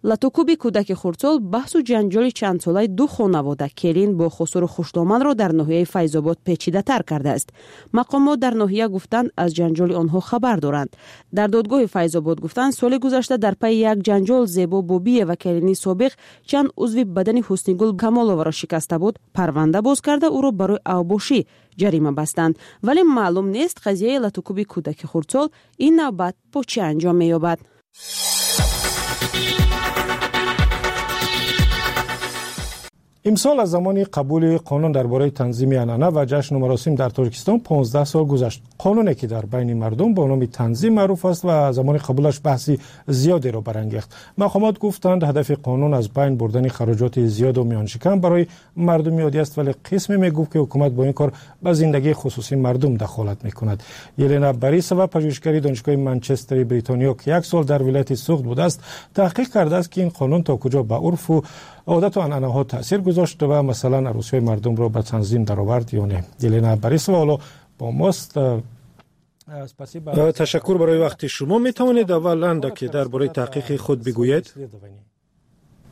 Латукӯби кӯдаки хурдсол баҳсу ҷанҷоли чандсолаи ду хонавода, келин бо хусуру хушдоманро дар ноҳияи Файзобод печидатар кардааст. Мақомот дар ноҳия гуфтанд, аз ҷанҷоли онҳо хабар доранд. Дар додгоҳи Файзобод гуфтанд, соли гузашта дар пайи як ҷанҷол Зебо Бобиева, келини собиқ, чанд узви бадани Ҳуснигул Камоловаро шикаста буд, парванда боз карда, ӯро барои авбошӣ ҷарима бастанд. Вале маълум нест, қазияи латукӯби кӯдаки хурдсол ин навбат бо чӣ анҷом меёбад. Имсол аз замони қабули қонун дар бораи танзими анъана ва ҷашну маросим дар Тоҷикистон 15 сол гузашт. Қонуне ки дар байни мардум бо номи танзим маъруф аст ва замони қабулаш баҳси зиёдеро барангехт. Мақомот гуфтанд, ҳадафи қонун аз байн бурдани хароҷоти зиёду миёншикан барои мардуми оддӣ аст, вале қисме мегуфт, ки ҳукумат бо ин кор ба зиндагии хусусии мардум дахолат мекунад. Елена Борисова, пажӯҳишгари Донишгоҳи Манчестери Бритониё, ки як сол дар вилояти Суғд будааст, таҳқиқ кардааст, ки ин қонун то куҷо ба урфу одату анъанаҳо таъсир гузошт ва масалан арӯсиҳои мардумро ба танзим даровард ё не. Елена Борисова ҳоло бо мост. Ташаккур барои вақти шумо. Метавонед аввал андаке дар бораи таҳқиқи худ бигӯед?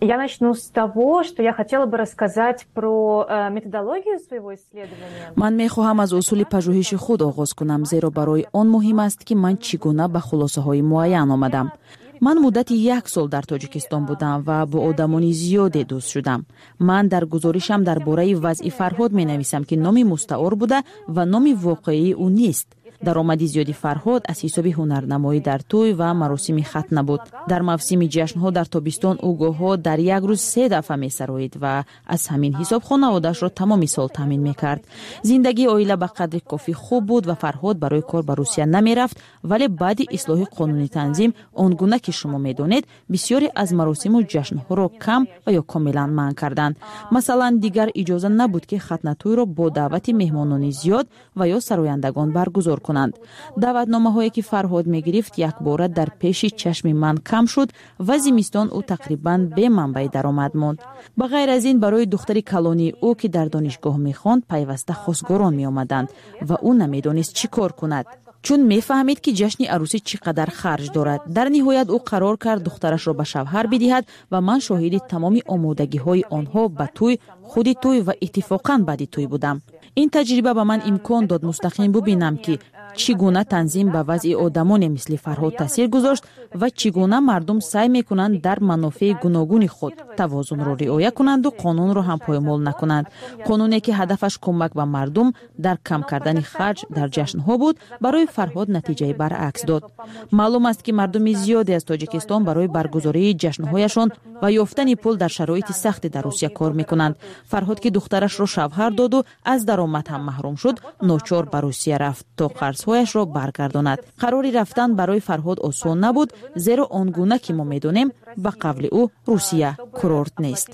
Я начну с того, что я хотела бы рассказать про методологию своего исследования. Ман мехоҳам аз усули пажӯҳиши худ оғоз кунам, зеро барои он муҳим аст, ки ман чӣ гуна ба хулосаҳои муайян омадам. Ман муддати як сол дар Тоҷикистон будам ва бо одамони зиёде дӯст шудам. Ман дар гузоришам дар бораи вазъи Фарҳод менависам, ки номи мустаор буда ва номи воқеии ӯ нест. Даромади зиёди Фарҳод аз ҳисоби ҳунарнамоӣ дар тӯй ва маросими хатна буд. Дар мавсими ҷашнҳо дар тобистон ӯ гоҳҳо дар як рӯз се дафъа месароид ва аз ҳамин ҳисоб хонаводаашро тамоми сол таъмин мекард. Зиндагии оила ба қадри кофӣ хуб буд ва Фарҳод барои кор ба Русия намерафт, вале баъди ислоҳи қонуни танзим, он гуна ки шумо медонед, бисёре аз маросиму ҷашнҳоро кам ва ё комилан манъ карданд. Масалан, дигар иҷоза набуд, ки хатнатӯйро бо даъвати меҳмонони зиёд ва ё сарояндагон баргузор кунанд. Даъватномаҳое ки Фарҳод мегирифт, якбора дар пеши чашми ман кам шуд ва зимистон ӯ тақрибан бе манбаи даромад монд. Ба ғайр аз ин, барои духтари калонии ӯ, ки дар донишгоҳ мехонд, пайваста хосгорон меомаданд ва ӯ намедонист, чӣ кор кунад, чун мефаҳмид, ки ҷашни арӯсӣ чӣ қадар харҷ дорад. Дар ниҳоят ӯ қарор кард духтарашро ба шавҳар бидиҳад ва ман шоҳиди тамоми омодагиҳои онҳо ба тӯй, худи тӯй ва иттифоқан баъди тӯй будам. Ин таҷриба ба ман имкон дод мустақим бубинам, ки чӣ гуна танзим ба вазъи одамоне мисли Фарҳод таъсир гузошт ва чӣ гуна мардум саъй мекунанд дар манофеи гуногуни худ тавозунро риоя кунанду қонунро ҳам поймол накунанд. Қонуне ки ҳадафаш кӯмак ба мардум дар кам кардани харҷ дар ҷашнҳо буд, барои Фарҳод натиҷаи баръакс дод. Маълум аст, ки мардуми зиёде аз Тоҷикистон барои баргузории ҷашнҳояшон ва ёфтани пул дар шароити сахте дар Русия кор мекунанд. Фарҳод, ки духтарашро шавҳар доду аз даромад ҳам маҳрум шуд, ночор ба Русия рафт, то қарзҳояшро баргардонад. Қарори рафтан барои Фарҳод осон набуд, зеро он гуна ки мо медонем, ба қавли ӯ, Русия курорт нест.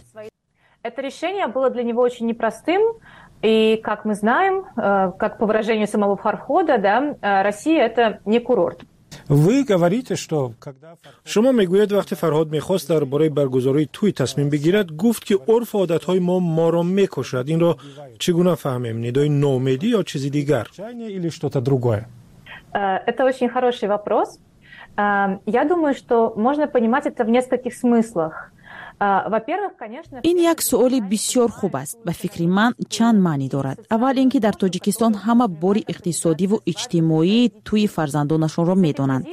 Это решение было для него очень непростым. И, как мы знаем, как по выражению самого Фархода, да, Россия – это не курорт. Вы говорите, что когда Шумо мегӯед, вақте Фарҳод мехост дар бораи баргузории тӯй тасмим бигирад, гуфт, ки урфу одатҳои мо моро мекушад. Инро чӣ гуна фаҳмем: нидои ноумедӣ ё чизи дигар? Или что-то другое? Это очень хороший вопрос. Я думаю, что можно понимать это в нескольких смыслах. Во-первых, конечно. Ин як суоли бисёр хуб аст. Ба фикри ман, чанд маънӣ дорад. Аввал ин ки дар Тоҷикистон ҳама бори иқтисодиву иҷтимоии тӯи фарзандонашонро медонанд.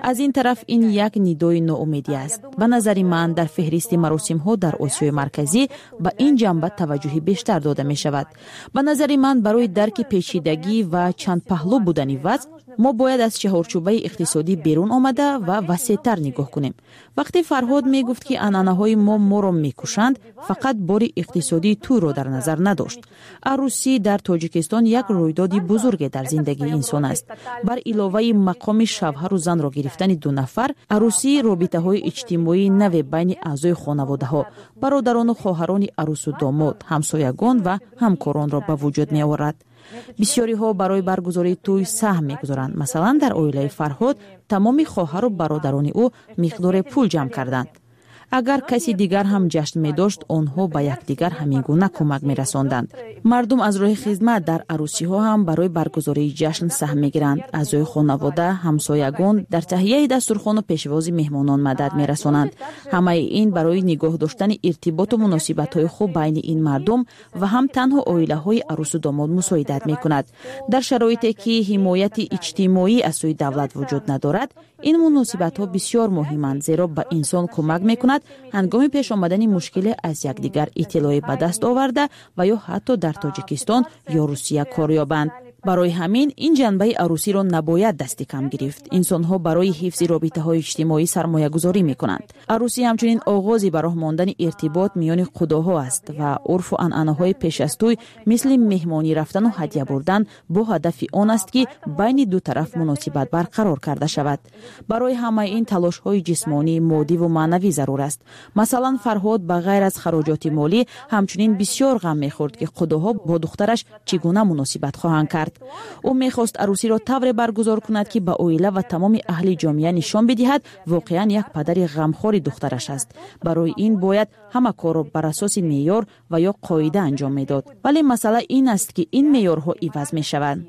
Аз ин тараф, ин як нидои ноумедӣ аст. Ба назари ман, дар феҳристи маросимҳо дар Осиёи Марказӣ ба ин ҷанба таваҷҷӯҳи бештар дода мешавад. Ба назари ман, барои дарки печидагӣ ва чандпаҳлӯ будани вазъ мо бояд аз чаҳорчӯбаи иқтисодӣ берун омада ва васеътар нигоҳ кунем. Вақте Фарҳод мегуфт, ки анъанаҳои мо моро мекушанд, фақат бори иқтисодии тӯйро дар назар надошт. Арӯсӣ дар Тоҷикистон як рӯйдоди бузурге дар зиндагии инсон аст. Бар иловаи мақоми шавҳару занро гирифтани ду нафар, арӯсӣ робитаҳои иҷтимоии наве байни аъзои хонаводаҳо, бародарону хоҳарони арӯсу домод, ҳамсоягон ва ҳамкоронро ба вуҷуд меорад. Бисёриҳо барои баргузории тӯй саҳм мегузоранд. Масалан, дар оилаи Фарҳод тамоми хоҳару бародарони ӯ миқдоре пул ҷамъ карданд. Агар каси дигар ҳам ҷашн медошт, онҳо ба якдигар ҳамин гуна кӯмак мерасонданд. Мардум аз роҳи хизмат дар арӯсиҳо ҳам барои баргузории ҷашн саҳм мегиранд. Аъзои хонавода, ҳамсоягон дар таҳияи дастурхону пешвози меҳмонон мадад мерасонанд. Ҳамаи ин барои нигоҳ доштани иртиботу муносибатҳои хуб байни ин мардум ва ҳам танҳо оилаҳои арӯсу домод мусоидат мекунад. Дар шароите ки ҳимояти иҷтимоӣ аз сӯи давлат вуҷуд надорад, ин муносибатҳо бисёр муҳиманд, зеро ба инсон кӯмак мекунад ҳангоми пеш омадани мушкиле аз якдигар иттилоъе ба даст оварда ва ё ҳатто дар Тоҷикистон ё Русия кор ёбанд. Барои ҳамин ин ҷанбаи арӯсиро набояд дасти кам гирифт. Инсонҳо барои ҳифзи робитаҳои иҷтимоӣ сармоягузорӣ мекунанд. Арӯсӣ ҳамчунин оғози ба роҳ мондани иртибот миёни худоҳо аст ва урфу анъанаҳои пеш аз тӯй мисли меҳмонӣ рафтану ҳадя бурдан бо ҳадафи он аст, ки байни ду тараф муносибат барқарор карда шавад. Барои ҳамаи ин талошҳои ҷисмонӣ, моддиву маънавӣ зарур аст. Масалан, Фарҳод ба ғайр аз хароҷоти молӣ ҳамчунин бисёр ғам мехӯрд, ки худоҳо бо духтараш чӣ гуна муносибат хоҳанд кард. Ӯ мехост арӯсиро тавре баргузор кунад, ки ба оила ва тамоми аҳли ҷомеа нишон бидиҳад воқеан як падари ғамхори духтараш аст. Барои ин бояд ҳама корро бар асоси меъёр ва ё қоида анҷом медод. Вале масъала ин аст, ки ин меъёрҳо иваз мешаванд.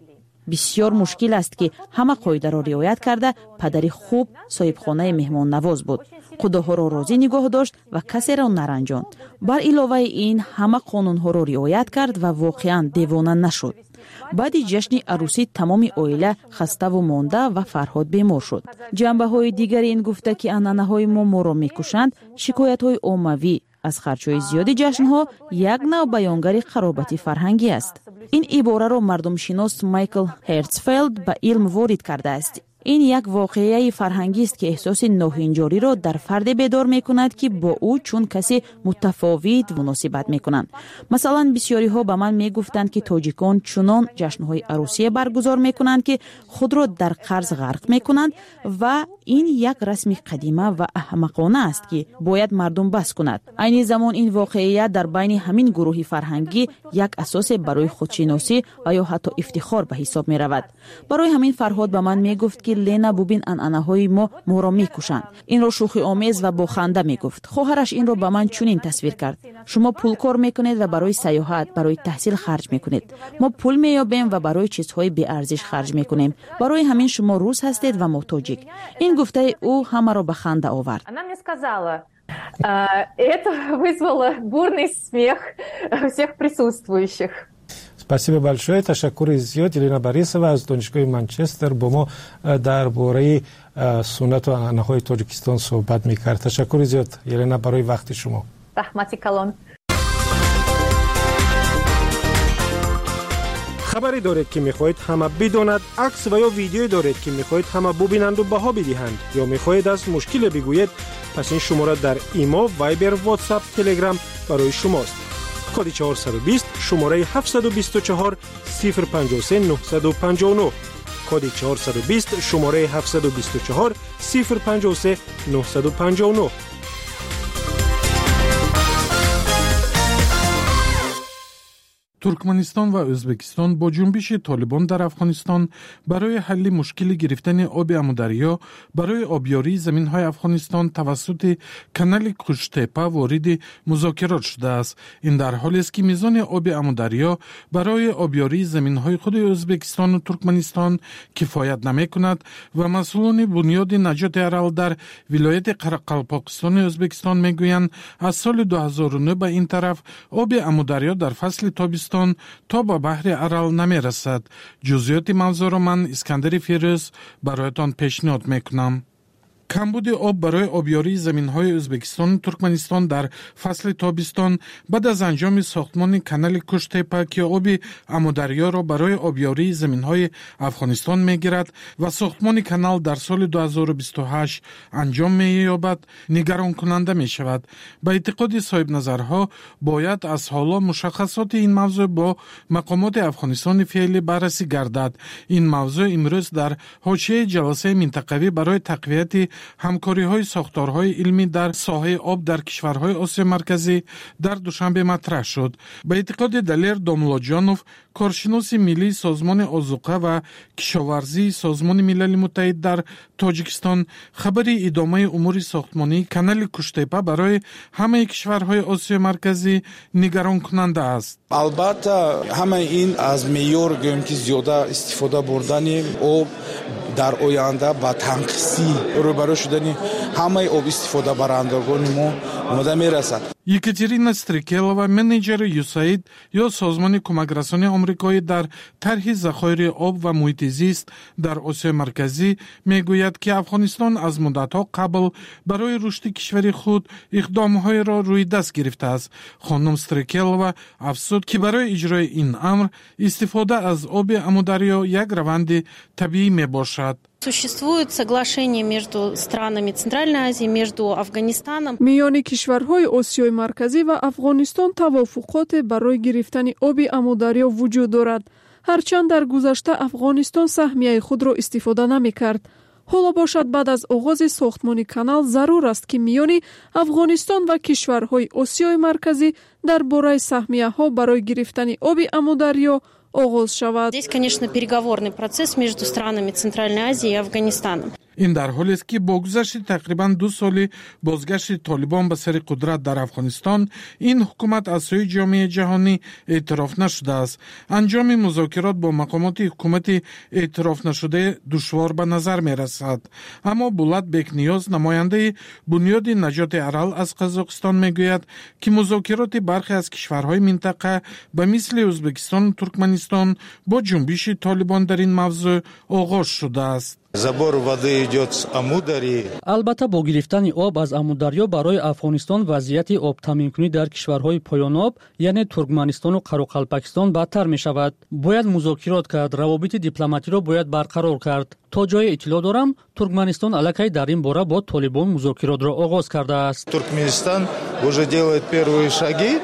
Бисёр мушкил аст, ки ҳама қоидаро риоят карда падари хуб, соҳибхонаи меҳмоннавоз буд, худоҳоро розӣ нигоҳ дошт ва касеро наранҷонд. Бар иловаи ин ҳама қонунҳоро риоят кард ва воқеан девона нашуд. Баъди ҷашни арӯсӣ тамоми оила хаставу монда ва Фарҳод бемор шуд. Ҷанбаҳои дигари ин гуфта, ки анъанаҳои мо моро мекушанд, шикоятҳои оммавӣ аз харҷҳои зиёди ҷашнҳо як нав баёнгари қаробати фарҳангӣ аст. Ин ибораро мардумшинос Майкл Ҳертсфелд ба илм ворид кардааст. Ин як воқеаи фарҳангист, ки эҳсоси ноҳинҷориро дар фарде бедор мекунад, ки бо ӯ чун касе мутафовит муносибат мекунанд. Масалан, бисёриҳо ба ман мегуфтанд, ки тоҷикон чунон ҷашнҳои арӯсие баргузор мекунанд, ки худро дар қарз ғарқ мекунанд ва ин як расми қадима ва аҳмақона аст, ки бояд мардум бас кунад. Айни замон ин воқеият дар байни ҳамин гурӯҳи фарҳангӣ як асосе барои худшиносӣ ва ё ҳатто ифтихор ба ҳисоб меравад. Барои ҳамин Фарҳод ба ман мегуфт, ки Лена, бубин, анъанаҳои мо моро мекушанд. Инро шӯхиомез ва бо ханда мегуфт. Хоҳараш инро ба ман чунин тасвир кард: шумо пул кор мекунед ва барои сайёҳат, барои таҳсил харҷ мекунед. Мо пул меёбем ва барои чизҳои беарзиш харҷ мекунем. Барои ҳамин шумо рус ҳастед ва мо тоҷик. Ин гуфтаи ӯ ҳамаро ба ханда овард. Она мне сказала, это вызвало бурный смех всех присутствующих. Спасибо большое. Ташаккури зиёд. Елена Борисова аз Донишгоҳи Манчестер бо мо дар бораи суннату анъанаҳои Тоҷикистон суҳбат мекард. Ташаккури зиёд, Елена, барои вақти шумо. Раҳмати калон. Хабаре доред, ки мехоҳед ҳама бидонад, акс ва ё видеое доред, ки мехоҳед ҳама бубинанду баҳо бидиҳанд, ё мехоҳед аз мушкиле бигӯед, пас ин шумора дар Имо, Вайбер, Ватсап, Телеграм барои шумост. Коди 420, шумораи 724 053 959. Коди 420, шумораи 724 053 959. Туркманистон ва Ӯзбекистон бо ҷунбиши Толибон дар Афғонистон барои ҳалли мушкили гирифтани оби Амударё барои обёрии заминҳои Афғонистон тавассути канали Куштепа вориди музокирот шудааст. Ин дар ҳолест, ки мизони оби Амударё барои обёрии заминҳои худи Ӯзбекистону Туркманистон кифоят намекунад ва масъулони бунёди наҷоти Арал дар вилояти Қарақалпоқистони Ӯзбекистон мегӯянд, аз соли 2009 ба ин тараф оби Амударё дар фасли тобистон то ба баҳри Арал намерасад. Ҷузъиёти мавзӯъро ман, Искандари Фирӯз, бароятон пешниҳод мекунам. Камбуди об барои обёрии заминҳои Ӯзбекистону Туркманистон дар фасли тобистон баъд аз анҷоми сохтмони канали Куштепа, ки оби Амударёро барои обёрии заминҳои Афғонистон мегирад ва сохтмони канал дар соли 2028 анҷом меёбад, нигаронкунанда мешавад. Ба эътиқоди соҳибназарҳо, бояд аз ҳоло мушаххасоти ин мавзӯъ бо мақомоти Афғонистони феълӣ баррасӣ гардад. Ин мавзӯъ имрӯз дар ҳошияи ҷаласаи минтақавӣ барои тақвияти ҳамкориҳои сохторҳои илмӣ дар соҳаи об дар кишварҳои Осиёи Марказӣ дар Душанбе матраҳ шуд. Ба эътиқоди Далер Домуллоҷонов, коршиноси миллии Созмони озуқа ва кишоварзии Созмони Милали Муттаҳид дар Тоҷикистон, хабари идомаи умури сохтмонии канали Куштепа барои ҳамаи кишварҳои Осиёи Марказӣ нигаронкунанда аст. Албатта, ҳамаи ин аз меъёр, гӯем ки, зиёда истифода бурдани об дар оянда ба танқисӣ рӯбарӯ шудани ҳамаи об истифодабарандагони мо омода мерасад. Екатерина Стрекелова, менеҷери ЮСАИД ё Созмони кӯмакрасони омрикоӣ дар тарҳи захоири об ва муҳити зист дар Осиёи Марказӣ, мегӯяд, ки Афғонистон аз муддатҳо қабл барои рушди кишвари худ иқдомҳоеро рӯи даст гирифтааст. Хонум Стрекелова афзуд, ки барои иҷрои ин амр истифода аз оби Амударё як раванди табиӣ мебошад. Существует соглашение между странами Центральной Азии, между Афганистаном. Миёни кишварҳои Осиёи Марказӣ ва Афғонистон тавофуқоте барои гирифтани оби Амударё вуҷуд дорад. Ҳарчанд дар гузашта Афғонистон саҳмияи худро истифода намекард. Ҳоло бошад, баъд аз оғози сохтмони канал зарур аст, ки миёни Афғонистон ва кишварҳои Осиёи Марказӣ дар бораи саҳмияҳо барои гирифтани оби Амударё оғоз шавад. Здесь, конечно, переговорный процесс между странами Центральной Азии и Афганистаном. Ин дар ҳолест, ки бо гузашти тақрибан 2 соли бозгашти Толибон ба сари қудрат дар Афғонистон, ин ҳукумат аз сӯи ҷомеаи ҷаҳонӣ эътироф нашудааст. Анҷоми музокирот бо мақомоти ҳукумати эътирофнашуда душвор ба назар мерасад. Аммо Булат Бекниёз, намояндаи Бунёди наҷоти Арал аз Қазоқистон, мегӯяд, ки музокироти бархе аз кишварҳои минтақа, ба мисли Ӯзбекистону Туркманистон, бо ҷунбиши Толибон дар ин мавзӯъ оғоз шудааст. Забор воды идет с Амударьи. Албатта, бо гирифтани об аз Амударё барои Афғонистон вазъияти обтаъминкунӣ дар кишварҳои поёноб, яъне Туркманистону Қароқалпакистон, бадтар мешавад. Бояд музокирот кард, равобити дипломатиро бояд барқарор кард. То ҷое иттилоъ дорам, Туркманистон аллакай дар ин бора бо Толибон музокиротро оғоз кардааст. Туркменистан уже делает первые шаги,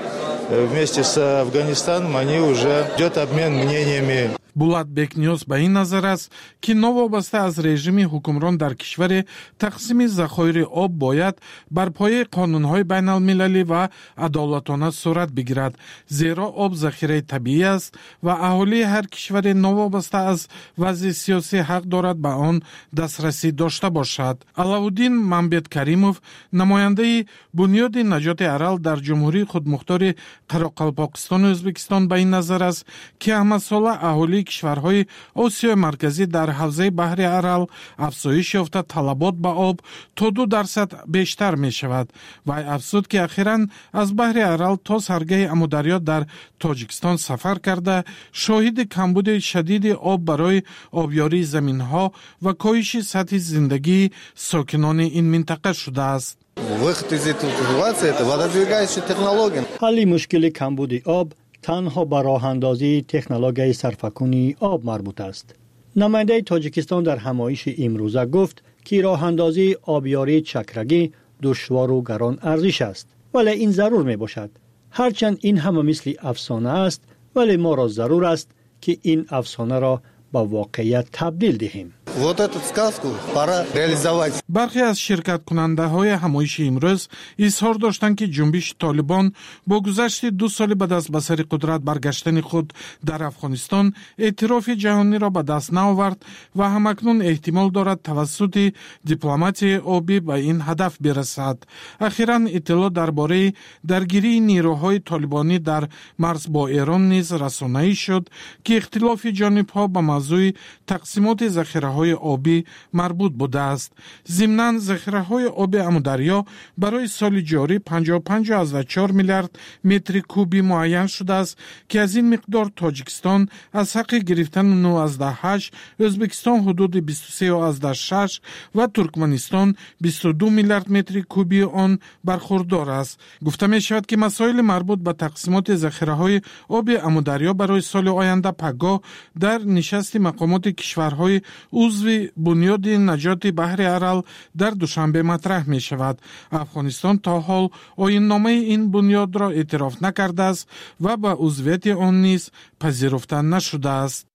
вместе с Афганистаном они уже идет обмен мнениями. Булат Бекниёз ба ин назар аст, ки новобаста аз режими ҳукмрон дар кишваре, тақсими захоири об бояд бар пояи қонунҳои байналмилалӣ ва адолатона сурат бигирад, зеро об захираи табиӣ аст ва аҳолии ҳар кишваре новобаста аз вазъи сиёсӣ ҳақ дорад ба он дастрасӣ дошта бошад. Аллауддин Мамбеткаримов, намояндаи Бунёди наҷоти Арал дар Ҷумҳурии Худмухтори Қароқалпоқистону Ӯзбекистон, ба ин назар аст, ки ҳамасола аҳолии кишварҳои Осиёи Марказӣ дар ҳавзаи баҳри Арал афзоиш ёфта, талабот ба об то 2% бештар мешавад. Вай афзуд, ки ахиран аз баҳри Арал то саргаҳи Амударё дар Тоҷикистон сафар карда, шоҳиди камбуди шадиди об барои обёрии заминҳо ва коҳиши сатҳи зиндагии сокинони ин минтақа шудааст. Выход из этой ситуации – это водосберегающие технологии. Ҳалли мушкили камбуди об танҳо ба роҳандозии технологияи сарфакунии об марбут аст. Намояндаи Тоҷикистон дар ҳамоиши имрӯза гуфт, ки роҳандозии обёрии чакрагӣ душвору гарон арзиш аст, вале ин зарур мебошад. Ҳарчанд ин ҳама мисли афсона аст, вале моро зарур аст, ки ин афсонаро ба воқеият табдил диҳем. Вот эту сказку пора реализовать. Бархе аз ширкаткунандаҳои ҳамоиши имрӯз изҳор доштанд, ки ҷунбиши Толибон бо гузашти 2 соли ба даст ба сари қудрат баргаштани худ дар Афғонистон эътирофи ҷаҳониро ба даст наовард ва ҳамакнун эҳтимол дорад тавассути дипломатияи обӣ ба ин ҳадаф бирасад. Ахиран иттилоъ дар бораи даргирии нерӯҳои толибонӣ дар марз бо Эрон низ расонаӣ шуд, ки ихтилофи ҷонибҳо ба мавзӯи тақсимоти захираҳои обӣ марбут будааст. Зимнан, захираҳои оби Амударё барои соли ҷорӣ 55,4 миллиард метри кубӣ муайян шудааст, ки аз ин миқдор Тоҷикистон аз ҳаққи гирифтани 9,8, Ӯзбекистон ҳудуди 23,6 ва Туркманистон 22 миллиард метри кубии он бархурдор аст. Гуфта мешавад, ки масоили марбут ба тақсимоти захираҳои оби Амударё барои соли оянда пагоҳ дар нишасти мақомоти кишварҳои узви Бунёди наҷоти баҳри Арал дар Душанбе матраҳ мешавад. Афғонистон то ҳол оинномаи ин бунёдро эътироф накардааст ва ба узвияти он низ пазируфта нашудааст.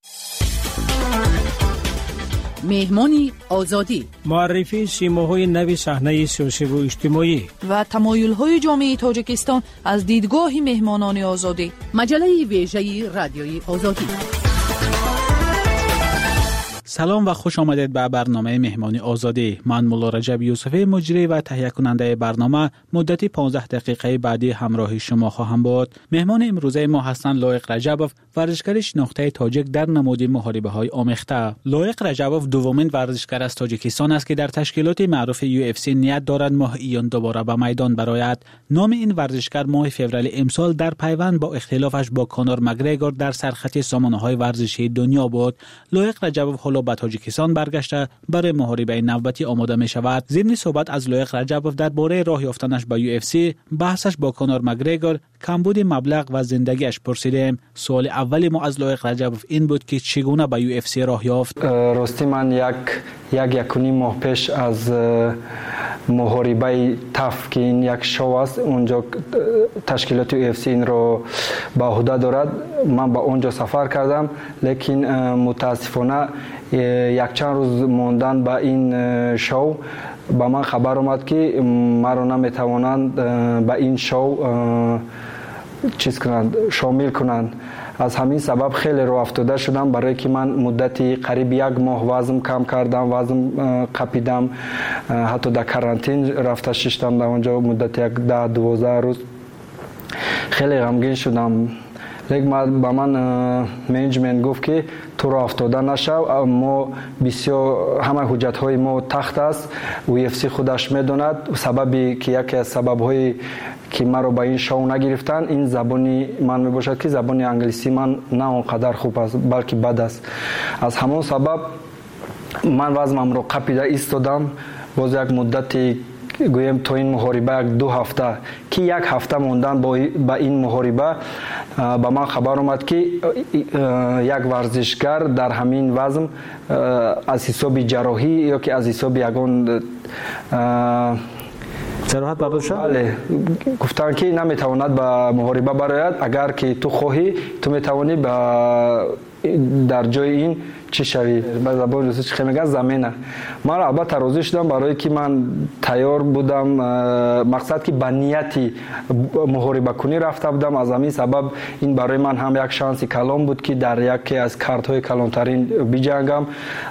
Меҳмони Озодӣ. Муаррифии симоҳои нави саҳнаи сиёсиву иҷтимоӣ ва тамоюлҳои ҷомеаи Тоҷикистон аз дидгоҳи меҳмонони Озодӣ. Маҷаллаи вежаи Радиои Озодӣ. Салом ва хуш омадед ба барномаи Меҳмони Озодӣ. Ман Мулло Раҷаб Юсуфӣ, муҷрӣ ва таҳиякунандаи барнома, муддати 15 дақиқаи баъдӣ ҳамроҳи шумо хоҳам буд. Меҳмони имрӯзаи мо ҳастанд Лоиқ Раҷабов, варзишгари шинохтаи тоҷик дар намуди муҳорибаҳои омехта. Лоиқ Раҷабов дуввумин варзишгар аз Тоҷикистон аст, ки дар ташкилоти маъруфи UFC ният дорад моҳи июн дубора ба майдон барояд. Номи ин варзишгар моҳи феврали имсол дар пайванд бо ихтилофаш бо Конор Макгрегор дар сархати сомонаҳои варзишии дунё буд. Лоиқ Раҷабов ҳоло ба Тоҷикистон баргашта, барои муҳорибаи навбатӣ омода мешавад. Зимни суҳбат аз Лоиқ Раҷабов дар бораи роҳ ёфтанаш ба UFC, баҳсаш бо Конор Макгрегор, камбуди маблағ ва зиндагиаш пурсидем. Суоли аввали мо аз Лоиқ Раҷабов ин буд, ки чӣ гуна ба UFC роҳ ёфт. Ростӣ, ман 1-1.5 моҳ пеш аз муҳорибаи TUF, ки ин як шоу аст, унҷо ташкилоти UFC инро ба ӯҳда дорад, ман ба он ҷо сафар кардам, лекин мутаассифона якчанд рӯз мондан ба ин шоу ба ман хабар омад, ки маро наметавонанд ба ин шоу чиз кунанд, шомил кунанд. Аз ҳамин сабаб хеле роҳафтода шудам, барое ки ман муддати қариб як моҳ вазм кам кардам, вазм қапидам, ҳатто дар карантин рафта шиштам дар он ҷо муддати як 10-12 рӯз. Хеле ғамгин шудам, лек ба ман менеҷмент гуфт, ки ту роҳафтода нашав, мо бисёр ҳамаи ҳуҷҷатҳои мо тахт аст, UFC худаш медонад. Сабаби ки яке аз сабабҳои ки маро ба ин шоу нагирифтанд, ин забони ман мебошад, ки забони англисии ман на он қадар хуб аст, балки бад аст. Аз ҳамон сабаб ман вазмамро қапида истодам. Боз як муддати, гӯем, то ин муҳориба 1-2 ҳафта, ки як ҳафта мондан ба ин муҳориба, ба ман хабар омад, ки як варзишгар дар ҳамин вазм аз ҳисоби ҷарроҳӣ ё ки аз ҳисоби ягон ҷароҳат бардошта, бале, гуфтанд, ки наметавонад ба муҳориба барояд. Агар ки ту хоҳӣ, ту метавонӣ ба дар ҷои ин чӣ шавӣ, ба забони русӣ чӣ мегӯянд, замена. Ман албатта розӣ шудам, барое ки ман тайёр будам, мақсад ки ба нияти муҳорибакунӣ рафта будам. Аз ҳамин сабаб ин барои ман ҳам як шанси калон буд, ки дар яке аз картҳои калонтарин биҷангам.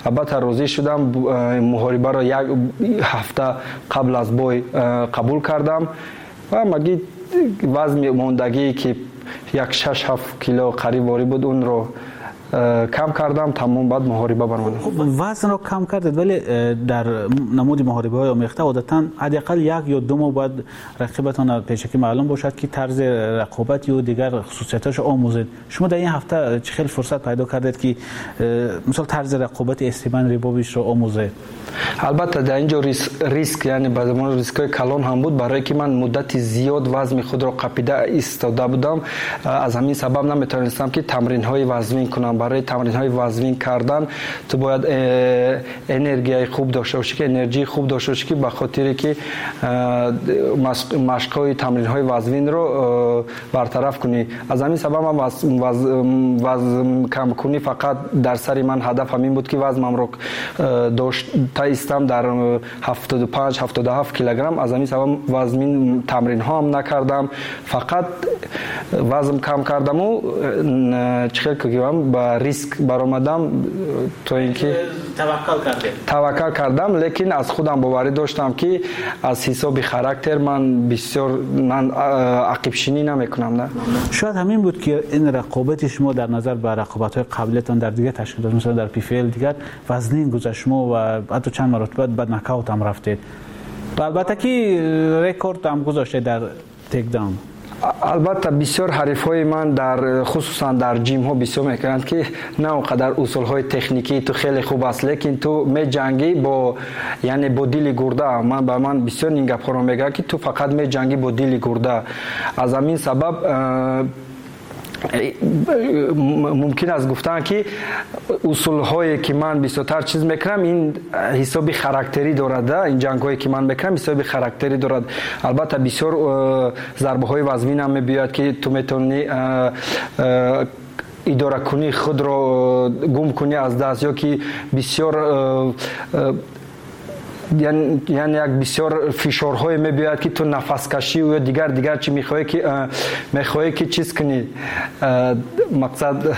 Албатта розӣ шудам, муҳорибаро як ҳафта қабл аз бой қабул кардам ва ҳамагӣ вазми мондагие, ки як 6-7 кило қариб ворӣ буд, онро кам кардам, тамом, баъд муҳориба баромадам. Вазнро кам кардед, вале дар намуди муҳорибаҳои омехта одатан ҳадди ақал 1 ё 2 моҳ бояд рақибатон пешакӣ маълум бошад, ки тарзи рақобат ё дигар хусусиятҳошро омӯзед. Шумо дар ин ҳафта чӣ хел фурсат пайдо кардед, ки мисол тарзи рақобати Степан Рибовичро омӯзед? Албатта, дар ин ҷо риск, яъне ба забони рискҳои калон ҳам буд, барое ки ман муддати зиёд вазми худро қапида истода будам. Аз ҳамин сабаб наметавонистам, ки тамринҳои вазнин кунам. Барои тамринҳои вазнин кардан ту бояд энергияи хуб дошта бошӣ, ки энерҷии хуб дошта бошӣ, ки ба хотире ки машқҳои тамринҳои вазнинро бартараф кунӣ. Аз ҳамин сабаб ман вазн камкунӣ фақат дар сари ман ҳадаф ҳамин буд, ки вазмамро дошта истам дар 75, 77 килограмм. Аз ҳамин сабаб вазнин тамринҳо ҳам накардам, фақат вазм кам кардаму чӣ хел кигӯям, ба риск баромадам, то ин ки таваккал кардед. Таваккал кардам, лекин аз худам боварӣ доштам, ки аз ҳисоби характер ман бисёр ман ақибшинӣ намекунам, на. Шояд ҳамин буд, ки ин рақобати шумо дар назар ба рақобатҳои қаблиятон дар дигар ташкилот, масалан дар PFL, дигар вазнин гузашт шумо ва ҳатто чанд маротиба ба нокаут ҳам рафтед ва албатта ки рекорд ҳам гузоштед дар takedown. Албатта, бисёр ҳарифҳои ман дар хусусан дар ҷимҳо бисёр мекунанд, ки на он қадар усулҳои техникии ту хеле хуб аст, лекин ту меҷангӣ бо, яъне бо дили гурда. Ман ба ман бисёр ин гапҳоро мегӯянд, ки ту фақат меҷангӣ бо дили гурда. Аз ҳамин сабаб мумкин аст гуфтан, ки усулҳое ки ман бисёртар чиз мекунам, ин ҳисоби характерӣ дорад. Ин ҷангҳое ки ман мекунам, ҳисоби характерӣ дорад. Албатта, бисёр зарбаҳои вазнинам мебиёяд, ки ту метавонӣ. Идоракунии худро гум кунӣ аз даст, ё ки бисёр, яъне як бисёр фишорҳое мебиёяд, ки ту нафаскашӣ ё дигар чи мехоҳӣ, ки мехоҳӣ, ки чиз кунӣ, мақсад.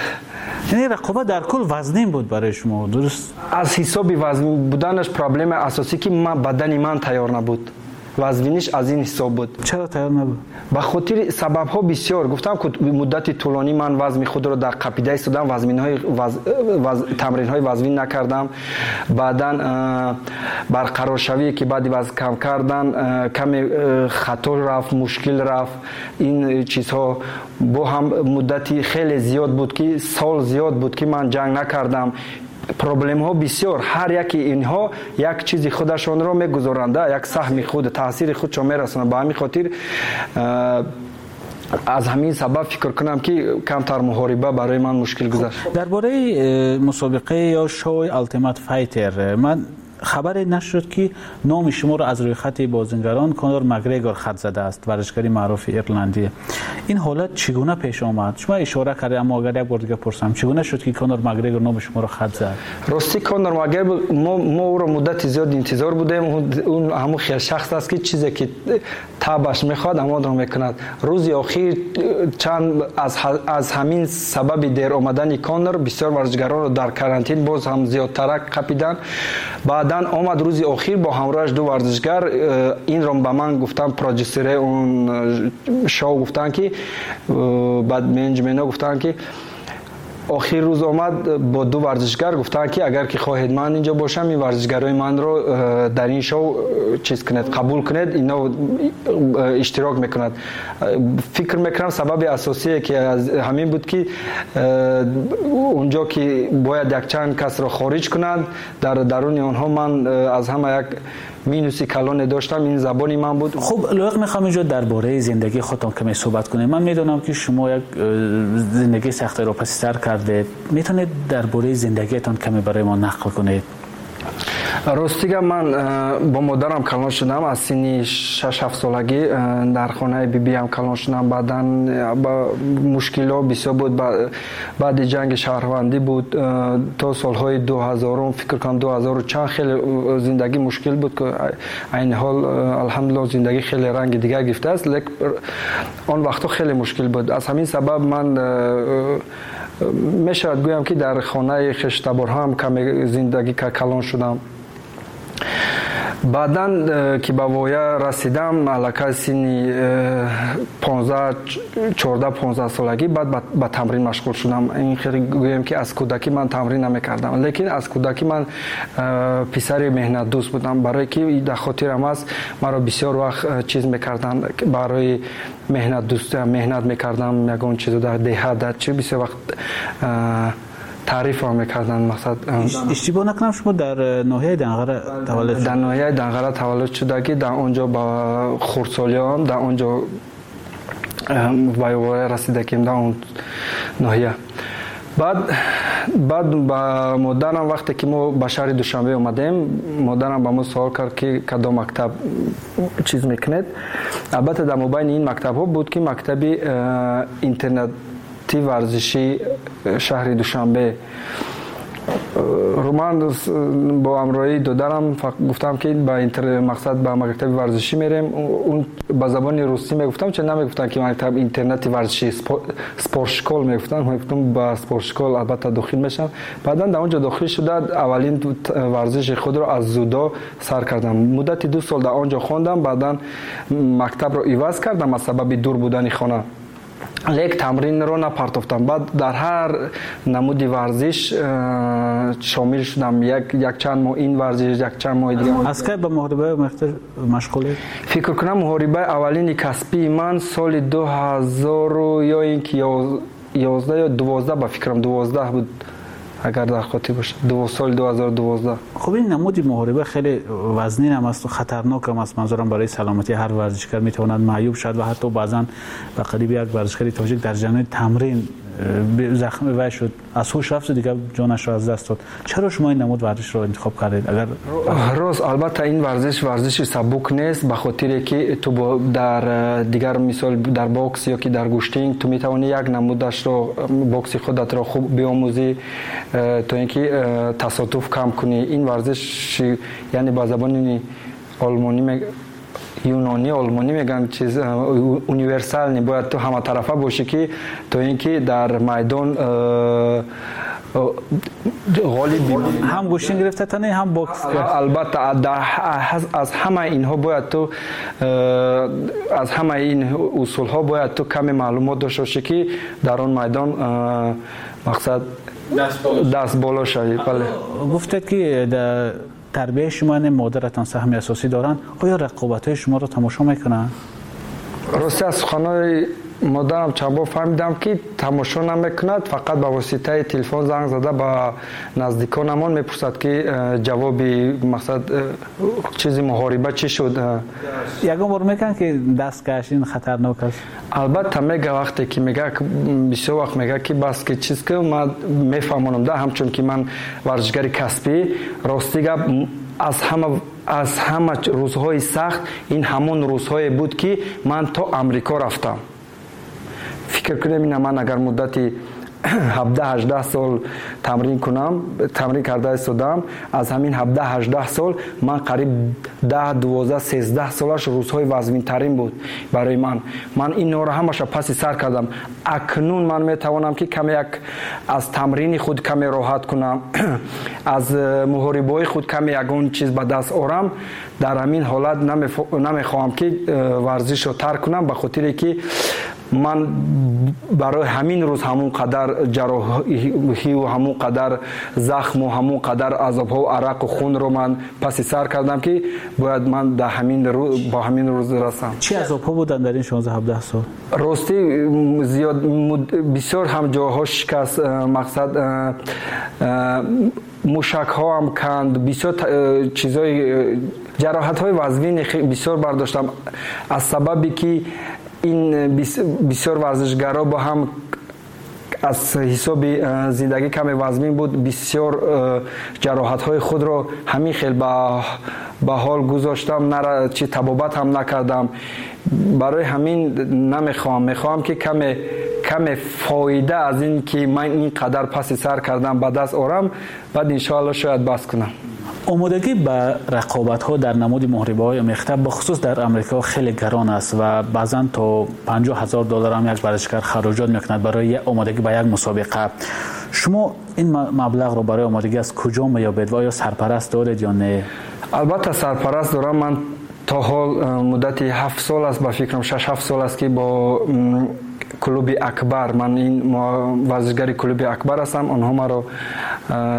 Яъне рақобат дар кул вазнин буд барои шумо, дуруст? Аз ҳисоби вазнин буданаш проблемаи асосӣ, ки бадани ман тайёр набуд. Вазниниш аз ин ҳисоб буд. Чаро тайёр набуд? Ба хотири сабабҳо бисёр. Гуфтам, ки муддати тӯлонӣ ман вазми худро дар қапида истодам, вазминҳои тамринҳои вазнин накардам. Баъдан барқароршавие, ки баъди вазн кам кардан, каме хато рафт, мушкил рафт. Ин чизҳо бо ҳам муддати хеле зиёд буд, ки сол зиёд буд, ки ман ҷанг накардам. Проблемҳо бисёр, ҳар яки инҳо як чизи худашонро мегузоранд, як саҳми худ, таъсири худшон мерасонанд. Ба ҳамин хотир, аз ҳамин сабаб фикр кунам, ки камтар муҳориба барои ман мушкил гузашт. Дар бораи мусобиқаи ё шоуи Ultimate Fighter ман хабаре нашуд, ки номи шуморо аз рӯйхати бозингарон Конор Макгрегор хат задааст, варзишгари маъруфи ирландӣ. Ин ҳолат чӣ гуна пеш омад? Шумо ишора кардед, аммо агар як бор дига пурсам, чӣ гуна шуд, ки Конор Макгрегор номи шуморо хат зад? Ростӣ, Конор Макгрегор, мо ӯро муддати зиёд интизор будем. Ӯ ҳамун хел шахс аст, ки чизе ки табаш мехоҳад, ҳамонро мекунад. Рӯзи охир чанд аз ҳамин сабаби дер омадани Конор бисёр варзишгаронро дар карантин боз ҳам зиёдтарак қапиданд. Баъдан омад рӯзи охир бо ҳамроҳаш ду варзишгар. Инро ба ман гуфтан продюсере он шоу, гуфтанд, ки баъд менеҷментҳо гуфтанд, ки охир рӯз омад бо ду варзишгар, гуфтанд, ки агар ки хоҳед ман инҷо бошам, ин варзишгарои манро дар ин шоу чиз кунед, қабул кунед, ино иштирок мекунад. Фикр мекунам, сабаби асосие ки ҳамин буд, ки унҷо ки бояд якчанд касро хориҷ кунанд, дар даруни онҳо ман аз ҳама як минуси калоне доштам, ин забони ман буд. Хуб, Лоиқ, мехоҳам инҷо дар бораи зиндагии худтон каме суҳбат кунем. Ман медонам, ки шумо як зиндагии сахтеро паси сар кардед. Метавонед дар бораи зиндагиятон каме барои мо нақл кунед? Ростига, ман бо модарам калон шудам. Аз синни 6-7 солагӣ дар хонаи бибиям калон шудам. Баъдан мушкилҳо бисёр буд, баъди ҷанги шаҳрвандӣ буд, то солҳои 2000-ум, фикр кунам, 2000-у чанд, хеле зиндагӣ мушкил буд. Айни ҳол, алҳамдулилло, зиндагӣ хеле ранги дигар гирифтааст, лек он вақтҳо хеле мушкил буд. Аз ҳамин сабаб ман мешавад гӯям, ки дар хонаи хештаборҳоам каме зиндагӣ калон шудам. Баъдан ки ба воя расидам, аллакай синни 14-15 солагӣ, баъд ба тамрин машғул шудам. Ин хеле гӯем, ки аз кӯдакӣ ман тамрин намекардам, лекин аз кӯдакӣ ман писари меҳнатдӯст будам, барое ки дар хотирам аст, маро бисёр вақт чиз мекарданд барои меҳнатдӯстиам. Меҳнат мекардам, ягон чизо дар деҳа, дар чи, бисёр вақт таърифам мекарданд, мақсад. Иштибоҳ накунам, шумо дар ноҳияи Данғара таваллуд? Дар ноҳияи Данғара таваллуд шудагӣ, дар он ҷо ба хурдсолиам, дар он ҷо ба воя расидагим, дар он ноҳия. Баъд ба модарам, вақте ки мо ба шаҳри Душанбе омадем, модарам ба мо суол кард, ки кадом мактаб чиз мекунед. Албатта, дар мобайни ин мактабҳо буд, ки мактаби интернати варзишии шаҳри Душанбе. Ман бо ҳамроҳии додарам гуфтам, ки ба мақсад ба мактаби варзишӣ мерем. Он ба забони русӣ мегуфтам, ча намегуфтам, ки мактаб интернати варзишӣ, спортшкол мегуфтам. Мегуфтам, ба спортшкол албатта дохил мешавам. Баъдан дар он ҷо дохил шуда, аввалин варзиши худро аз дзюдо сар кардам. Муддати 2 сол дар он ҷо хондам. Баъдан мактабро иваз кардам аз сабаби дур будани хона, лек тамринро напартофтам. Баъд дар ҳар намуди варзиш шомил шудам, якчанд моҳ ин варзиш, якчанд моҳи дигар. Аз кай ба муҳорибаи машғулед? Фикр кунам, муҳорибаи аввалини касбии ман соли 2000 ё ин ки 11 ё 12, ба фикрам, 12 буд, агар дар хотир бошад, соли 2012. Хуб, ин намуди муҳориба хеле вазнин ҳам аст, хатарнок ҳам аст. Манзурам, барои саломатии ҳар варзишгар, метавонад маъюб шавад ва ҳатто баъзан ба қариби як варзишгари тоҷик дар ҷараёни тамрин захм вай шуд, аз ҳуш рафт, дигар ҷонашро аз даст дод. Чаро шумо ин намуд варзишро интихоб кардед? Агар рост, албатта, ин варзиш варзиши сабук нест, ба хотире ки ту дар дигар, мисол, дар бокс ё ки дар гӯштинг ту метавонӣ як намудашро, бокси худатро хуб биомӯзӣ, то ин ки тасодуф кам кунӣ. Ин варзиш, яъне ба забони олмонӣ, юнонӣ, олмонӣ мегӯянд, чиз универсальный, бояд ту ҳаматарафа бошӣ, ки то ин ки дар майдон ғолиб. Ҳам гӯштин гирифта тани, ҳам бокс. Албатта, аз ҳамаи инҳо бояд ту, аз ҳамаи ин усулҳо бояд ту каме маълумот дошта бошӣ, ки дар он майдон, мақсад, даст боло шавӣ, бале. Гуфтед, ки тарбияи шумо, яъне модаратон саҳми асосӣ доранд. Оё рақобатҳои шуморо тамошо мекунанд? Рости, аз суханои модарам чанд бор фаҳмидам, ки тамошо намекунад, фақат ба воситаи телефон занг зада ба наздиконамон мепурсад, ки ҷавоби, мақсад, чизи муҳориба чӣ шуд. Ягон бор мекунанд, ки даст каш, ин хатарнок аст? Албатта, мега. Вақте ки мега, бисёр вақт мега, ки бас ки чиз, ки ман мефаҳмонам да, ҳамчун ки ман варзишгари касбӣ. Рости гап, аз ҳама рӯзҳои сахт ин ҳамон рӯзҳое буд, ки ман то Амрико рафтам. Фикр кунем, ина ман агар муддати 17-18 сол тамрин кунам, тамрин карда истодам, аз ҳамин 17-18 сол ман қариб 10, 12, 13 солаш рӯзҳои вазнинтарин буд барои ман. Ман инҳоро ҳамаша паси сар кардам. Акнун ман метавонам, ки каме як аз тамрини худ каме роҳат кунам, аз муҳорибаҳои худ каме ягон чиз ба даст орам. Дар ҳамин ҳолат намехоҳам, ки варзишро тарк кунам, ба хотире ки ман барои ҳамин рӯз ҳамон қадар ҷарроҳиву ҳамон қадар захму ҳамон қадар азобҳо, арақу хунро ман паси сар кардам, ки бояд ман дар ҳамин ба ҳамин рӯз расам. Чӣ азобҳо буданд дар ин 16-17 сол? Ростӣ, зиёд, бисёр ҳам ҷойҳо шикаст, мақсад, мушакҳоам канд, бисёр чизҳои, ҷароҳатҳои вазнини бисёр бардоштам, аз сабабе ки ин бисёр варзишгаро бо ҳам аз ҳисоби зиндагӣ каме вазмин буд. Бисёр ҷароҳатҳои худро ҳамин хел ба ҳол гузоштам, чи табобат ҳам накардам. Барои ҳамин намехоҳам, мехоҳам, ки каме фоида аз ин ки ман ин қадар паси сар кардам, ба даст орам, баъд, иншоалло, шояд бас кунам. Омодагӣ ба рақобатҳо дар намуди муҳорибаҳои омехта, бахусус дар Амрико, хеле гарон аст ва баъзан то 50 000 доллар ҳам як варзишгар хароҷот мекунад барои омодагӣ ба як мусобиқа. Шумо ин маблағро барои омодагӣ аз куҷо меёбед ва оё сарпараст доред ё не? Албатта, сарпараст дорам. Ман то ҳол муддати 7 сол аст, ба фикрам, 6-7 сол аст, ки бо клуби Акбар, ман ин варзишгари клуби Акбар ҳастам, онҳо маро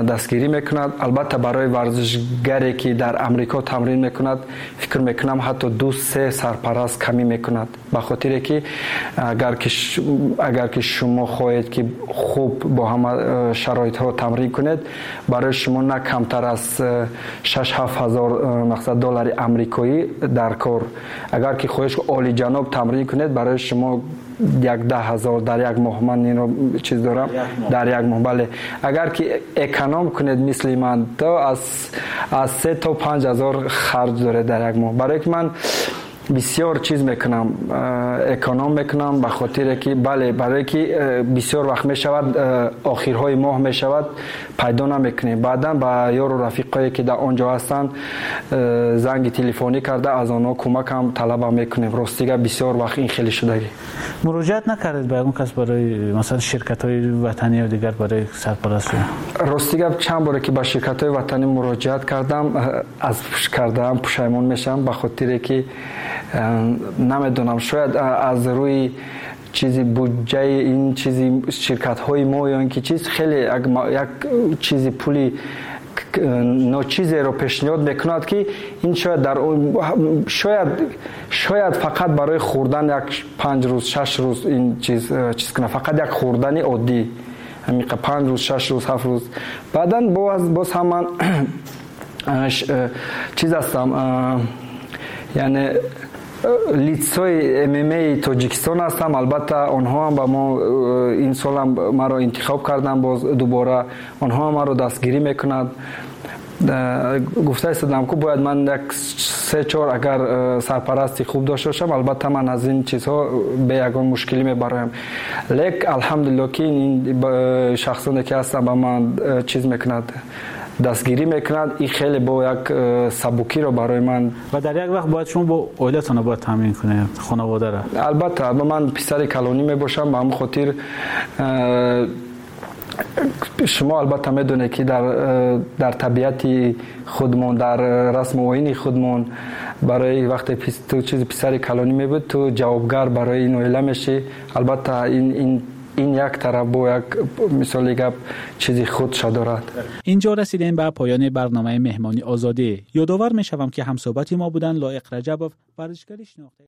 дастгирӣ мекунад. Албатта, барои варзишгаре ки дар Амрико тамрин мекунад, фикр мекунам, ҳатто ду се сарпараст камӣ мекунад, ба хотире ки агар ки шумо хоҳед, ки хуб бо ҳама шароитҳо тамрин кунед, барои шумо на камтар аз 6-7 ҳазор, мақсад, доллари амрикоӣ дар кор. Агар ки хоҳед олиҷаноб тамрин кунед, барои шумо як 10 000 дар як моҳ. Ман инро чиз дорам, дар як моҳ, бале. Агар ки эконом кунед, мисли ман, то аз 3 то 5 ҳазор харҷ доред дар як моҳ. Барое ки ман бисёр чиз мекунам, эконом мекунам, ба хотире ки, бале, барое ки бисёр вақт мешавад, охирҳои моҳ мешавад, пайдо намекунем. Баъдан ба ёру рафиқое ки дар он ҷо ҳастанд, занги телефонӣ карда, аз онҳо кӯмакам талабам мекунем. Ростига, бисёр вақт ин хеле шудагӣ. Муроҷиат накардед ба ягон кас, барои масалан ширкатҳои ватанӣ ё дигар, барои сарпараст? Рости гап, чанд боре ки ба ширкатҳои ватанӣ муроҷиат кардам, аз кардаам пушаймон мешавам, ба хотире ки намедонам, шояд аз рӯи чизи буҷаи ин чизи ширкатҳои мо ё ин ки чиз хеле як чизи пули ночизеро пешниҳод мекунад, ки ин шояд дар шояд фақат барои хӯрдан як 5 рӯз, 6 рӯз ин чиз кунад, фақат як хӯрдани оддӣ, ҳамиқа 5 рӯз, 6 рӯз, 7 рӯз. Баъдан боз ҳам ман чиз ҳастам, яъне Лицои ММАи Тоҷикистон ҳастам. Албатта, онҳоам ба мо ин солам маро интихоб карданд, боз дубора онҳоам маро дастгирӣ мекунанд. Гуфта истодам, ку бояд ман як се чор агар сарпарасти хуб дошта бошам, албатта ман аз ин чизҳо бе ягон мушкилӣ мебароям. Лек алҳамдулилло, ки ин шахсоне ки ҳастанд, ба ман чиз мекунад, дастгирӣ мекунад. Ин хеле бо як сабукиро барои ман. Ва дар як вақт бояд шумо бо оилатонро бояд таъмин кунед, хонаводаро. Албатта, ман писари калонӣ мебошам. Ба ҳамин хотир шумо албатта медонед, ки дар табиати худмон, дар расму оини худмон, барои вақте ту чизи писари калонӣ мебуд, ту ҷавобгар барои ин оила мешӣ. Албатта, ин як тараф бо як мисоли гап чизи худша дорад. Инҷо расидем ба поёни барномаи Меҳмони Озодӣ. Ёдовар мешавам, ки ҳамсӯҳбати мо буданд Лоиқ Раҷабов, варзишгари шинохта.